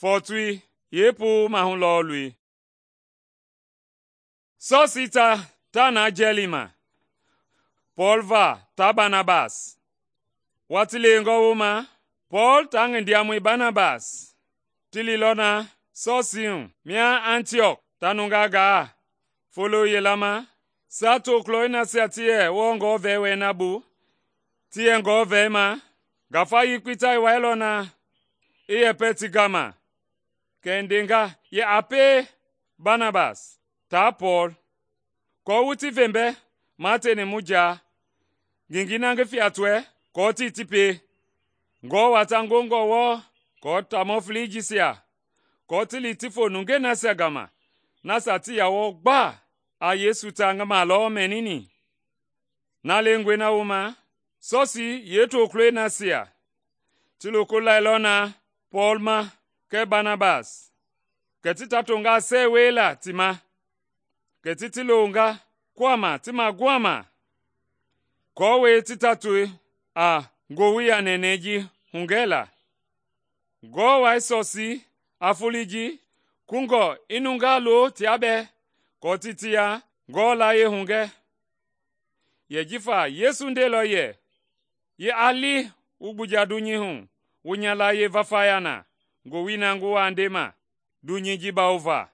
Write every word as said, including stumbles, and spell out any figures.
fɔɔtoi yeepuu maahu lɔɔlui. Sɔsiita ta na jɛlii ma, Pɔɔl va taa Banabas. Watii lewengɔ wooma, Pɔɔl taa ngi ndiamɔi Banabas ti liilɔ na Sɔsii hu mia Antiɔk ta nungaa gaa. Folo yila ma, saa tokulɔi nasia ti yɛ wɔɔ ngɔɔvɛi wɛi na bu, ti yɛ ngɔɔvɛi ma, ngafa yekpei ta i wailɔ na i yɛpɛ ti gama. Kɛ i ndenga yɛ a pie Banabas taa Pɔɔl aako wu ti ve mbɛ mateni mu jaa ngengei na ngi fiatɔɛ aako tii ti pie. Ngewɔ watangongɔ wɔɔ aako taamɔ felei jisia aako ti li ti fo nungei nasia gama nasia tii yaa wɔɔ gbaa a Yesu tangima lɔ mɛnini. Na lengɔe na wooma, Sɔsii yeetokulɔi nasia ti loko lailɔ na Pɔɔl ma kɛɛ Banabas, kɛ ti ta tonga sɛɛ wiela ti ma, kɛ ti ti longa kuhama ti maguama, aako ti ta toe a ngowili a nɛnɛɛ ji hugɛla. Ngewɔ Wai Sɔsii a foloi ji kungɔ i nungaa lo tia bɛɛ aako ti ti ya Ngewɔ layie hugɛ. Yɛ jifa Yesu ndeilɔ yɛ, “Ye a li wu gbuja dunyei hu wu nya layie vafaya na ngowili na ngi wa ndema dunyei ji bawova.”